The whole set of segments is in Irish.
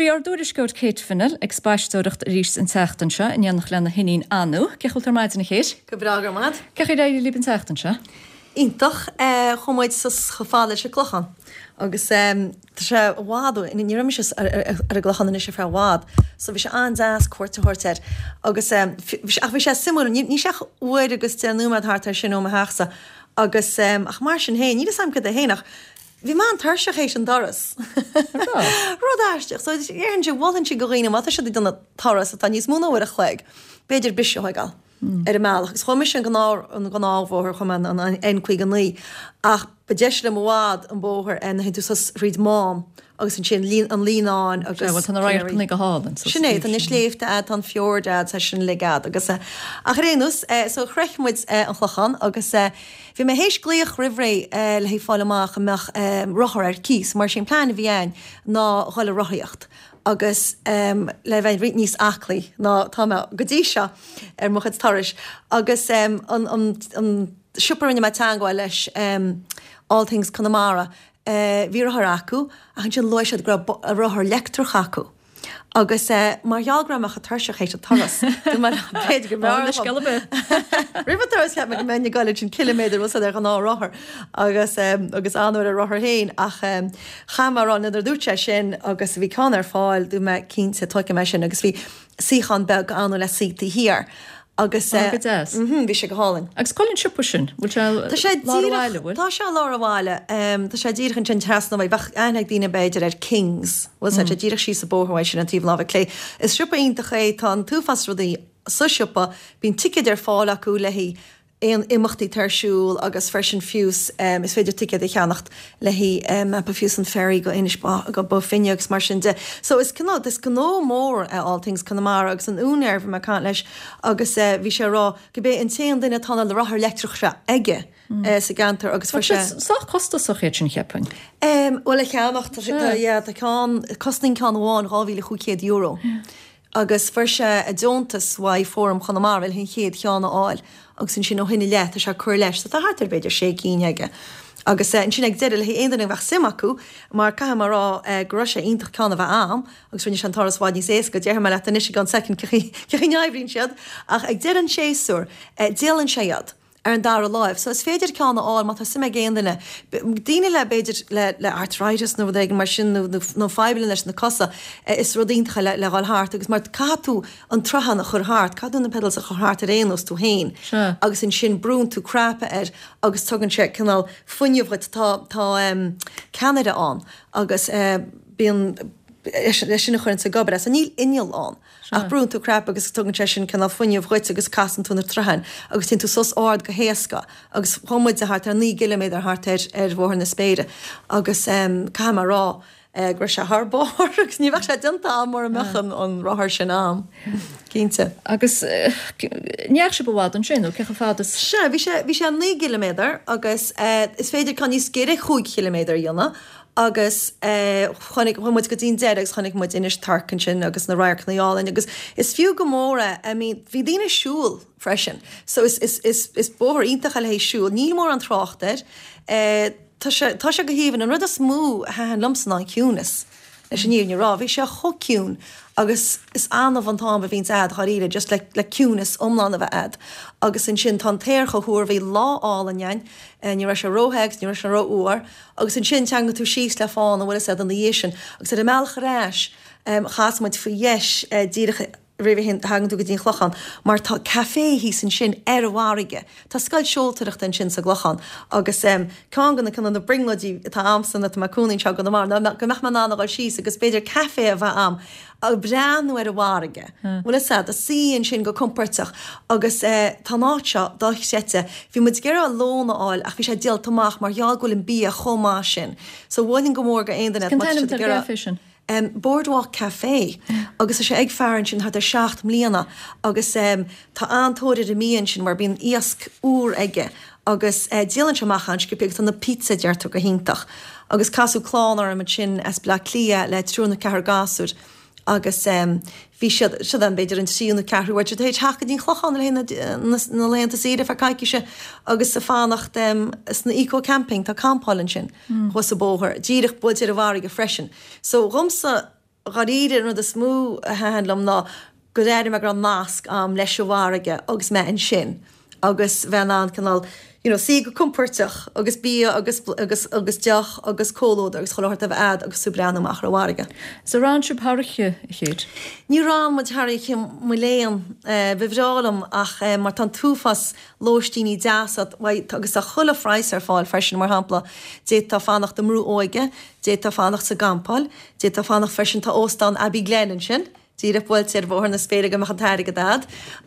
bhí ár dtuairisceoir Kate Fennell ag spaisteoireacht arís an tseachtain seo in éineacht lena hiníon Anu. Cén chaoi a bhfuil tú ar maidin a Kate? Go breá, go raibh maith agat. Cén chaoi ar éirigh libh an tseachtain seo? Iontach. Chuaigh muid suas chomh fada leis an gClochán agus tá sé i bhfad uainn, ní raibh mise ar an gClochán anois ar feadh i bhfad so bhí sé an-deas cuairt a thabhairt air agus ach bhí sé suimiúil, níl sé ach uair agus 10 nóiméad thart ar sin ó mo theachsa agus ach mar sin féin, níl 'fhios a'm cad é féin ach bhí mé an-tuirseach théis an turas. Rud aisteach. So déarfainnse, mholfainnse do dhaoine má tá siad ag déanamh turas atá níos mó ná uair a chloig, b'fhéidir briseadh a thógáil ar an mbealach. Agus chuaigh mise an gnáth, an gnáthbhóthar, chuaigh mé an N59 ach ba deise liom i bhfad an bóthar nuair a théann tú suas thríd Mám agus ansin an Líonán agus Sea, bhuel tá na radharcanna go hálainn suas Sin é, tá na sléibhte a'd, tá an fjord a'd, tá sin uilig a'd agus ach ar aon nós, so shroich muid an Clochán agus bhí mé théis glaoch roimh ré le haghaidh fáil amach an mbeadh rothar ar cíos mar sé an plean a bhí a'inn ná dhul ag rothaíocht agus le bheith roinnt níos aclaí ná tá mé go dtí seo ar mo chuid turais agus an an siopa a rinne mé teangmháil leis All Things Conamara bhí rothar acu ach ansin luaigh siad go raibh rothar leictreach acu agus mar gheall go raibh mé chomh tuirseach théis an turas dúirt mé b'fhéidir go mb'fhearr liom roimh an turas cheap mé go mbeinn ag goil ansin ciliméadar bhfuil 's a'd ar ghnáthrothar agus agus Anu ar a rothar féin ach chaith mé a rá nuair a dúirt sé sin agus bhí ceann ar fáil dúirt mé cinnte tógfaidh mé sin agus bhí suíochán beag ann le suí taobh thiar agus Ó go deas. bhí sé go hálainn. Agus cá bhfuil an siopa sin? Bhfuil sé Tá sé lár an bhaile, bhfuil? Tá sé i lár an bhaile. Tá sé díreach ansin trasna uaidh. Bheadh aithne ag daoine b'fhéidir ar Kings. Bhfuil sé díreach síos an bóthar uaidh sin an taobh láimhe clé. Is siopa iontach é. Tá an t-uafás rudaí sa siopa. Bíonn ticéid ar fáil acu le haghaidh aon imeachtaí atá ar siúl agus freisin fiús is féidir ticéad a cheannacht le haghaidh fiús an ferry go Inis go Bó Finne agus mar sin de. So is cineál, is gnó mór é All Things Conamara agus an úinéir, bhí mé ag caint leis agus bhí sé ag rá gurb é an t-aon duine atá na rothair leictreach seo aige sa gceantar agus fuair sé. Sách costasach iad sin cheapfainn. Bhuel a cheannacht, tá sé, yeah, tá ceann, cosnaíonn ceann amháin €2,500. Agus fuair sé deontas uaidh Fóram Chonamara le an chéad cheann a fháil agus ansin ó shin i leith tá sé ag cur leis so tá thart ar b'fhéidir sé cinn aige. Agus ansin ag deireadh le haghaidh aon duine a bheadh suim acu mar caithfidh mé a rá go raibh sé iontach ceann a bheith a'am agus rinne sé an turas i bhfad níos éasca, déarfaidh mé leat anois i gceann soicind cén chaoi a n-oibríonn siad ach ag deireadh an tséasúir díolann sé iad. ar an dara láimh. So is féidir ceann a fháil má tá suim ag aon duine. Daoine le, b'fhéidir, le, le arthritis nó rud éigin mar sin nó, nó, nó fadhbanna leis na cosa, is rud iontach é le, le dhul thart agus mar caithfidh tú an troitheán a chur thart, caithfidh tú na pedals a chur thart ar aon nós tú féin agus ansin brúnn tú cnaipe air agus tugann sé cineál fuinneamh dhuit. Tá, tá ceannaire ann agus bíonn, é sin a chuireann ag obair é. So níl inneall ann. Ach brúnn tú cnaipe agus tugann sé sin cineál fuinneamh dhuit agus casann tú na troitheáin agus téann tú suas ard go héasca agus chuaigh muide thart ar 9 gciliméadar thart ar ar Bhóthar na Spéire agus caithfidh mé a rá go raibh sé thar barr agus ní bheadh sé déanta a'm mura mbeadh an an rothar sin a'm, cinnte. Agus ní dheachaigh sibh i bhfad ansin nó cé chomh fada is. Sea, bhí sé bhí sé 9 gciliméadar agus is féidir ceann níos giorra 5 chiliméadar a dhéanamh Agus chonaic, chuaigh muid go dtí an deireadh agus chonaic muid Inis Toirc ansin agus na radharcanna álainn agus is fiú go mór é, I mean bhí daoine ag siúl freisin so is, is, is, is bóthar iontach é le haghaidh siúl, níl mórán trácht air, tá sé, tá sé go haoibhinn. An rud is mó a thaitin liomsa ná an ciúnas, leis an fhírinne a rá, bhí sé chomh ciúin agus is annamh an t-am a bhíonns a'd dháiríre just le, le ciúnas iomlán a bheith a'd agus ansin tá an t-aer chomh húr, bhí lá álainn a'inn, ní raibh sé róthe agus ní raibh sé rófhuar. Agus ansin teangann tú síos le fána, bhfuil fhios a'd, ina dhiaidh sin. Agus ar an mbealach ar ais, chas muid faoi dheis díreach roimh a thagann tú go dtí an Clochán, mar tá café thíos ansin ar an bhfarraige. Tá scoil seoltóireachta ansin sa gClochán. Agus ceann de na ceann de na brionglóidí atá a'msa nuair atá mé ag cónaí anseo i gConamara ná go mbeadh mé in ann a dhul síos agus b'fhéidir café a bheith a'm ag breathnú ar an bhfarraige, bhfuil fhios a'd, ag suí ansin go compóirteach agus tá an áit seo dochreidte. Bhí muid ag iarraidh lón a fháil ach bhí sé díolta amach mar gheall go bhfuil an bia chomh maith sin. So mholfainn go mór go aon duine Cén t-ainm atá ar an gcafé sin? Boardwalk Café agus tá sé ag fear ansin thart ar 7 mbliana agus tá an-tóir ar an mbia ansin mar bíonn iasc úr aige agus díolann sé amach an-sciobtha agus tá na pizza deirtear go hiontach. Agus casadh clann orm ansin as Bleá Cliath le triúr nó ceathrar gasúr agus bhí siad, siad ann b'fhéidir an tríú nó ceathrú uair, tar éis theacht go dtí an Clochán le haghaidh na laethanta saoire ar feadh coicíse agus ag fanacht sna eco camping, tá campáil ansin thuas an bóthar, díreach buailte ar an bhfarraige freisin. So dhomsa. dháiríre an rud is mó a thaitin liom ná gur airigh mé go raibh nasc a'm leis an bhfarraige agus mé ansin agus bheith in ann cineál you know suí go compóirteach agus bia agus agus agus deoch agus comhluadar agus chuile shórt a bheith a'd agus tú ag breathnú amach ar an bhfarraige. Is an raibh sibh thar oíche, a Chéit? Ní raibh muid thar oíche mo léan. Ba bhreá liom ach mar tá an t-uafás lóistíní deasa agus tá chuile phraghas ar fáil freisin, mar shampla d'fhéadfá fanacht i mBrú Óige, d'fhéadfá fanacht sa gcampáil, d'fhéadfá fanacht freisin, tá Óstán Abbey Glen ansin, díreach buailte ar Bhóthar na Spéire go mbeadh an t-airgead a'd,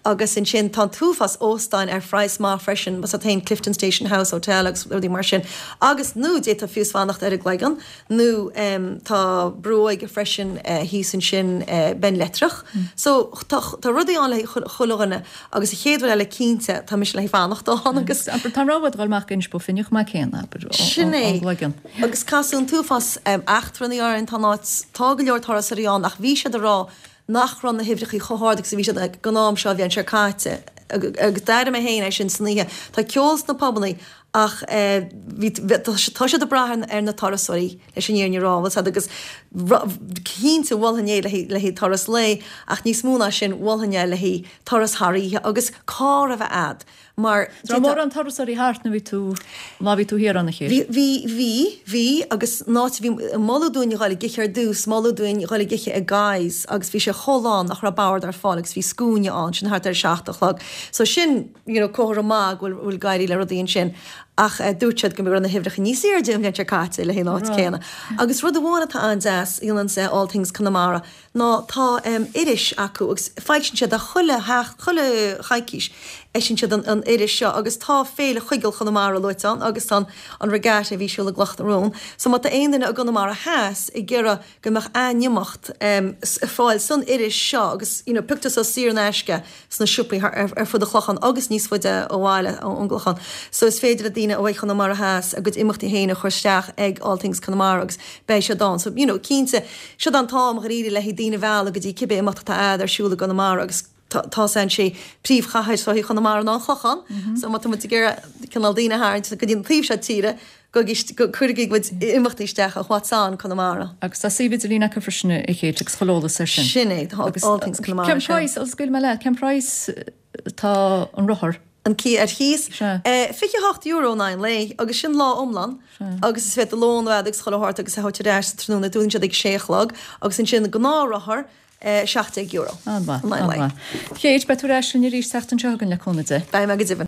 agus ansin tá an t-uafás óstáin ar phraghas maith freisin, más ea féin Clifton Station House Hotel agus rudaí mar sin, agus nó d'fhéadfá fiú fanacht ar an gCloigeann nó tá Brú Óige freisin thíos ansin Beinn Leitreach. So tá tá rudaí ann le haghaidh chuile dhuine agus an chéad rud eile cinnte tá mise le haghaidh fanacht ann agus. Abair tá an rogha a'd dhul amach go Inis Bó Finne chomh maith céanna, abair, Sin é. ón gCloigeann. Agus casadh an t-uafás eachtrannaigh orainn, tá an áit, tá go leor turasóirí ann ach bhí siad ag rá nach raibh na huimhreachaí chomh hard agus a bhí siad ag an am seo an bhliain seo caite. Agus d'airigh mé féin é sin san oíche. Tá ceol sna pubannaí ach bhí, tá siad ag brath ar na turasóirí leis an fhírinne a rá, bhfuil 's a'd agus cinnte mholfainn é le haghaidh turas lae ach níos mó ná sin mholfainn é le haghaidh turas thar oíche agus carr a bheith a'd. Mar Raibh mórán turasóirí thart nuair bhí tú, má bhí tú thiar ann a Chéit? Bhí, bhí, bhí, bhí agus an áit a bhí, moladh dúinn a dhul ag ithe ar dtús, moladh dúinn dhul ag ithe i Guy's agus bhí sé chomh lán nach raibh bord ar fáil agus bhí scuaine ann, sin thart ar a seacht a chlog. So sin, you know, comhartha maith go bhfuil, bhfuil ag éirí le rudaí ansin. Ach dúirt siad go raibh na huimhreacha níos airde an bhliain seo caite le haghaidh an áit céanna. Agus rud amháin atá an-deas a dhéanann All Things Conamara, ná tá iris acu agus foilsíonn siad é chuile chuile choicís, eisíonn siad an iris seo agus tá Féile Choigeal Chonamara luaite ann agus tá an Regatta a bhí ar siúl i gCloch na Rón. So má tá aon duine i gConamara Theas ag iarraidh go mbeadh a n-imeacht ar fáil san iris seo agus you know pioctar suas saor in aisce sna siopaí ar fud an Chlocháin agus níos faide ó bhaile ón gClochán. So is féidir le daoine ó Chonamara Theas a gcuid imeachtaí féin a chur isteach ag All Things Conamara agus beidh siad ann. So, you know, cinnte, siod an t-am dháiríre le haghaidh daoine a mhealladh go dtí cibé imeacht atá a'd ar siúl i gConamara agus tá sé sé príomhchathair sochaí Chonamara ná an Clochán. So má tá muid ag iarraidh cineál daoine a tharraingt go dtí an taobh seo tíre, go cuirigí bhur gcuid imeachtaí isteach ar What's On Conamara. Agus tá suíomh idirlín acu freisin a Chéit agus chuile eolas air sin. Sin é, tá All Things Conamara. Cén praghas, scaoilfidh mé leat, cén praghas atá an rothar? An cíos ar cíos? Sea. €28 in aghaidh an lae agus sin lá iomlán agus is féidir lón a bheith agus chuile shórt agus a thabhairt ar ais sa tráthnóna, dúnann siad ag sé a chlog agus ansin gnáthrothar €17 An-mhaith, an-mhaith. Chéit, beidh tú ar ais linn arís seachtain seo chugainn le cúnamh Dé. Beidh mé go deimhin.